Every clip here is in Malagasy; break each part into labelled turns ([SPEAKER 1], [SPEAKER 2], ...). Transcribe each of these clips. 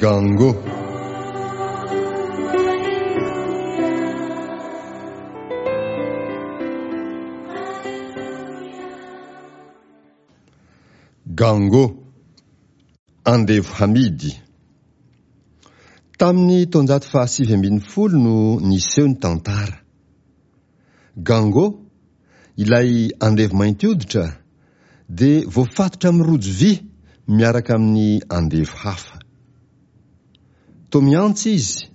[SPEAKER 1] Gango. Gango. Andevo hamidy. Tamin'ny taonjato faha-19 no niseho ny tantara. Gango, ilay andevo mainty hoditra, dia voafatotra amin'ny rojo vy miaraka amin'ny andevo hafa. Toa mihantsy izy,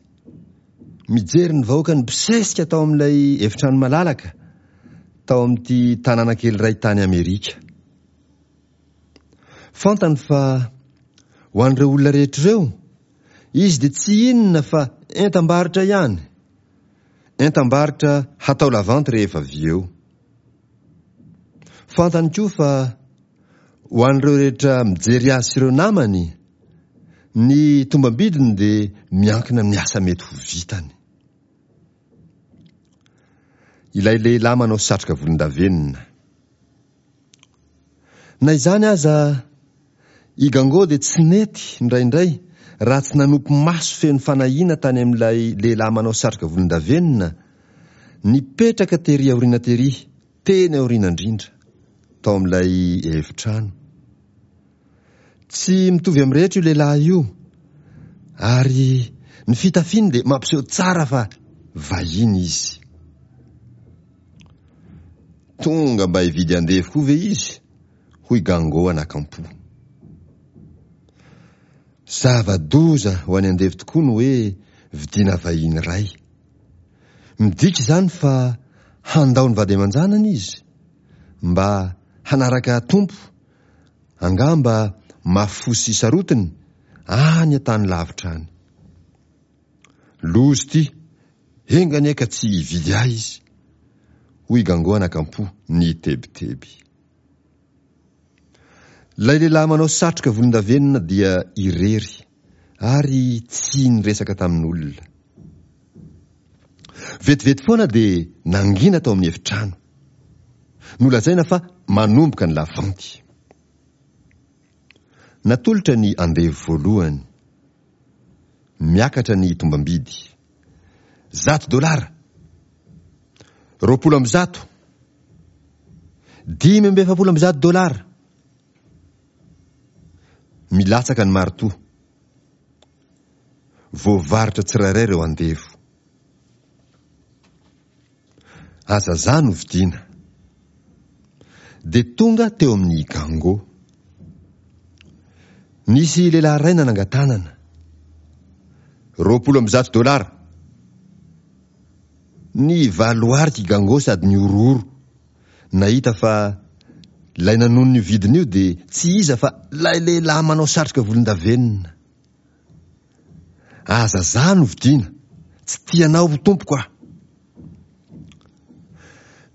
[SPEAKER 1] mijery ny vahoaka nibosesika tao amin'ilay efitrano malalaka tao amin'ity tanàna kely iray tany Amerika. Fantany fa ho an'ireo olona rehetra ireo, izy dia tsy inona fa entam-barotra ihany. Entam-barotra hatao lavanty rehefa avy eo. Fantany koa fa ho an'ireo rehetra mijery azy sy ireo namany, ny tombam-bidiny dia miankina amin'ny asa mety ho vitany. Ilay lehilahy manao satroka volondavenona. Na izany aza, i Gango dia tsy nety indraindray raha tsy nanopy maso feno fanahiana tany amin'ilay lehilahy manao satroka volondavenona, nipetraka tery aoriana tery, teny aoriana indrindra, tao amin'ilay efitrano. Tsy mitovy amin'ny rehetra io lehilahy io, ary ny fitafiany dia mampiseho tsara fa vahiny izy. Tonga mba hividy andevo koa ve izy? hoy Gango anakampo. Zava-doza ho an'ny andevo tokoa ny hoe vidiana vahiny iray. Midika izany fa handao ny vady aman-janany izy mba hanaraka tompo, angamba mafy fo sy sarotiny, any an-tany lavitra any. Loza ity, enga anie ka tsy hividy ahy izy, hoy i Gango anakampo nitebiteby. Ilay lehilahy manao satroka volondavenona dia irery ary tsy niresaka tamin'olona. Vetivety foana dia nangina tao amin'ny efitrano. Nolazaina fa manomboka ny lavanty. Natolotra ny andevo voalohany. Miakatra ny tombam-bidy. 100 dolara! 120! 145 dolara! Milatsaka ny maritoa. Voavarotra tsirairay ireo andevo. Aza za no vidiana. Dia tonga teo amin'ny Gango. Nisy lehilahy iray nanangan-tanana. 120 dolara. Nivaloarika i Gango sady nihorohoro nahita fa ilay nanonona io vidiny io dia tsy iza fa ilay lehilahy manao satroka volondavenona. Aza za no vidiana, tsy tianao ho tompoko aho.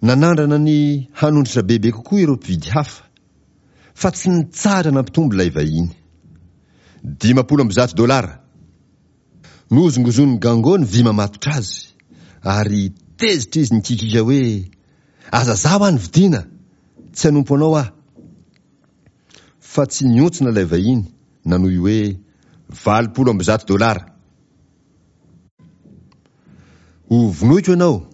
[SPEAKER 1] Nanandrana ny hanondrotra bebe kokoa ireo mpividy hafa, fa tsy nitsahatra nampitombo ilay vahiny. 150 dolara! Nohozongozonin'i Gango ny vy mamatotra azy, ary tezitra izy nikikika hoe, Aza za hoa no vidiana! Tsy hanompo anao aho! Fa tsy nihontsina ilay vahiny, nanohy hoe, 180 dolara! Ho vonoiko ianao!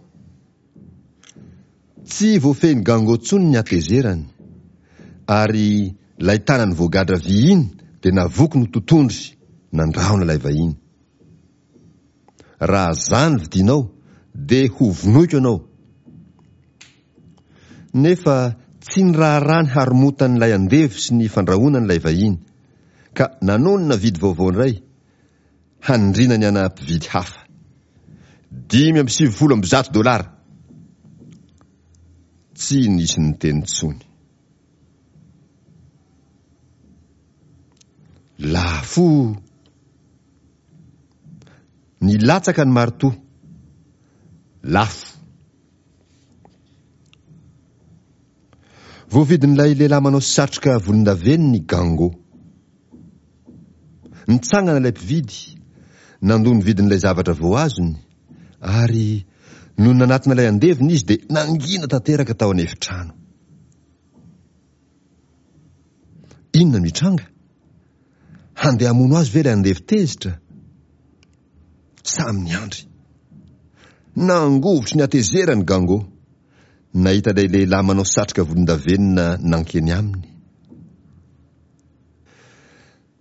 [SPEAKER 1] Tsy voafehin'i Gango intsony ny hatezerany, ary ilay tanany voagadra vy iny dia navoky no totondry nandrahona ilay vahiny. Raha za no vidianao dia ho vonoiko ianao! Nefa tsy niraharaha ny haromotan'ilay andevo sy ny fandrahonany ilay vahiny, ka nanonona vidy vaovao indray, hanindriana ny ana mpividy hafa. 195 dolara! Tsy nisy niteny intsony. Lafo! Nilatsaka ny maritoa. Lafo! Voavidin'ilay lehilahy manao satroka volondavenona i Gango. Nitsangana ilay mpividy, nandoa ny vidin'ilay zavatra vao azony, ary nony nanatona ilay andevony izy dia nangina tanteraka tao an'efitrano. Inona no hitranga? Handeha hamono azy ve ilay andevo tezitra? Samy niandry. Nangovitry ny hatezerany Gango, nahita ilay lehilahy manao satroka volondavenona nankeny aminy.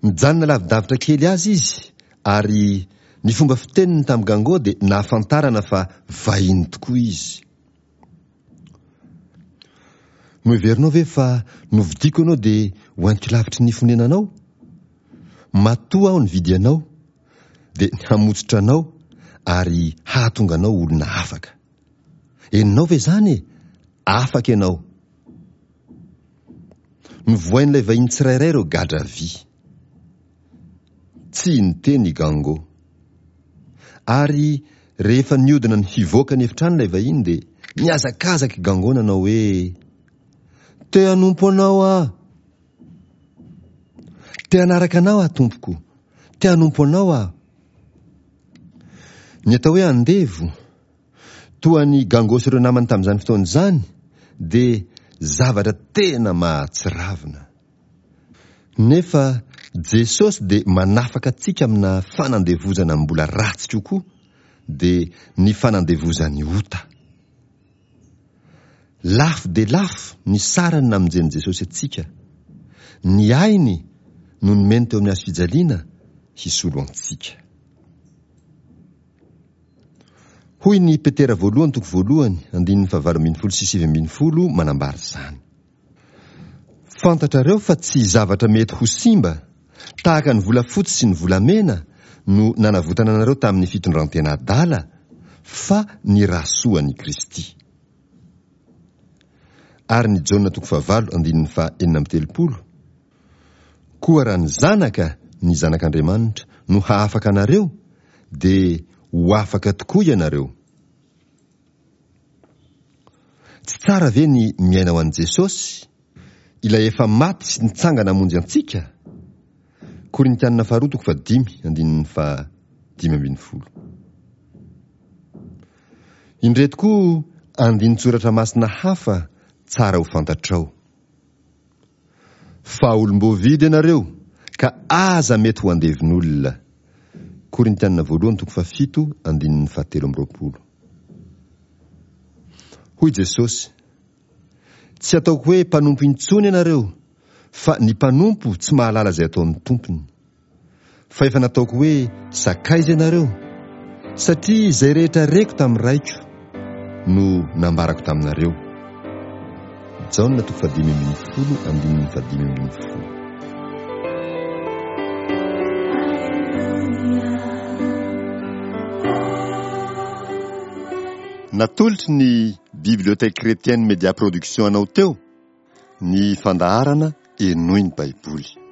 [SPEAKER 1] Nijanona lavidavitra kely azy izy ary ny fomba fiteniny tamin'i Gango dia nahafantarana fa vahiny tokoa izy. Noheverinao ve fa novidiako ianao dia hoentiko lavitry ny fonenanao? Matoa aho nividy anao dia ny hamotsitra anao ary hahatonga anao olona afaka. Henonao ve izany e? Afaka ianao. Novohain'ilay vahiny tsirairay ireo gadra vy. Tsy niteny i Gango. Ary rehefa nihodina ny hivoaka ny efitrano ilay vahiny dia nihazakazaka i Gango nanao hoe, Te hanompo anao aho! Te hanaraka anao aho tompoko! Te hanompo anao aho! Ny atao hoe andevo, toa an'i Gango sy ireo namany tamin'izany fotoana izany, dia zavatra tena mahatsiravina. Nefa Jesosy dia manafaka antsika amina fanandevozana mbola ratsy kokoa, dia ny fanandevozan'ny ota. Lafo dia lafo ny sarany namonjen'i Jesosy antsika. Ny ainy no nomeny teo amin'ny hazo fijaliana hisolo antsika. Hoy ny Petera voalohany toko voalohany andininy fahavalo ambin'ny folo sy 19 manambara izany. Fantatrareo fa tsy zavatra mety ho simba, tahaka ny volafotsy sy ny volamena, no nanavotana anareo tamin'ny fitondran-tena adala, fa ny ra soan'i Kristy. Ary ny Jaona toko fahavalo andininy faha 36, Koa raha ny Zanaka, ny Zanak'Andriamanitra, no hahafaka anareo, dia ho afaka tokoa ianareo. Tsy tsara ve ny miaina ho an'i Jesosy, ilay efa maty sy nitsangana hamonjy antsika? Korintianina faharoa toko fahadimy andininy faha 15. Indreto koa andinin-tsoratra masina hafa tsara ho fantatrao. Fa olom-boavidy ianareo, ka aza mety ho andevon'olona. Korintianina voalohany toko fahafito andininy fahatelo amby roapolo. Hoy Jesosy, Tsy ataoko hoe mpanompo intsony ianareo, fa ny mpanompo tsy mahalala izay ataon'ny tompony. Fa efa nataoko hoe sakaiza ianareo, satria izay rehetra reko tamin'ny Raiko no nambarako taminareo. Jaona toko fahadimy ambin'ny folo andininy fahadimy ambin'ny folo. Natolotry ny Bibliothèque Chrétienne Média Production anao teo ny fandaharana Henoy ny Baiboly.